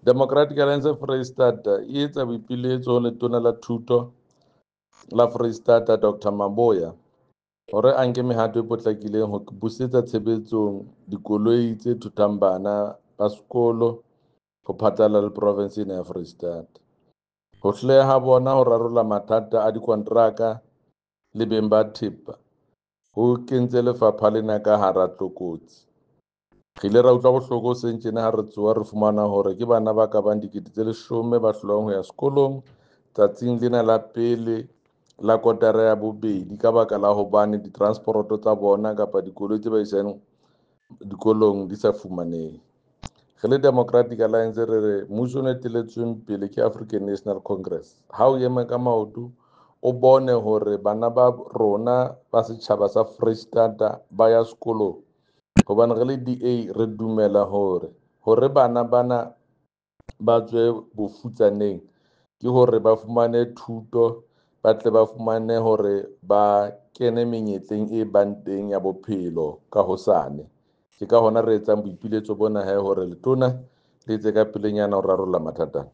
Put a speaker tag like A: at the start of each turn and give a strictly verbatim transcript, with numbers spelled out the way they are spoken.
A: Democratic Alliance Freistata e etsa boipiletso ho letona la thuto la Freistata Doctor Maboya hore a nke mehato e potlakileng ho busetsa tshebetsong dikoloi tse thuthang bana ba sekolo ho phatlalla le province ena ya Freistata. Ho hloleha ha bona ho rarolla mathata a dikonteraka le beng ba thepa ho kentse lefapha lena ka hara tlokotsi. Re ile ra utlwa bohloko hoseng tjena ha re tsoha re fumana hore ke bana ba ka bang dikete tse leshome ba hlolwang ho ya sekolong tsatsing lena la pele la kotara ya bobedi ka baka la hobane ditransporoto tsa bona kapa dikoloi tse ba isang dikolong di sa fumanehe. Re le Democratic Alliance re re mmuso o eteletsweng pele ke African National Congress ha o eme ka maoto o bone hore bana ba rona ba setjhaba sa Freistata ba ya sekolong, hobane re le D A re dumela hore hore bana bana ba tswe bofutsaneng ke hore ba fumane thuto, ba tle ba fumane hore ba kene menyetleng e bang teng ya bophelo ka hosane. Ke ka hona re etsang boipiletso bona he hore letona le etse ka pelenyana ho rarolla mathata.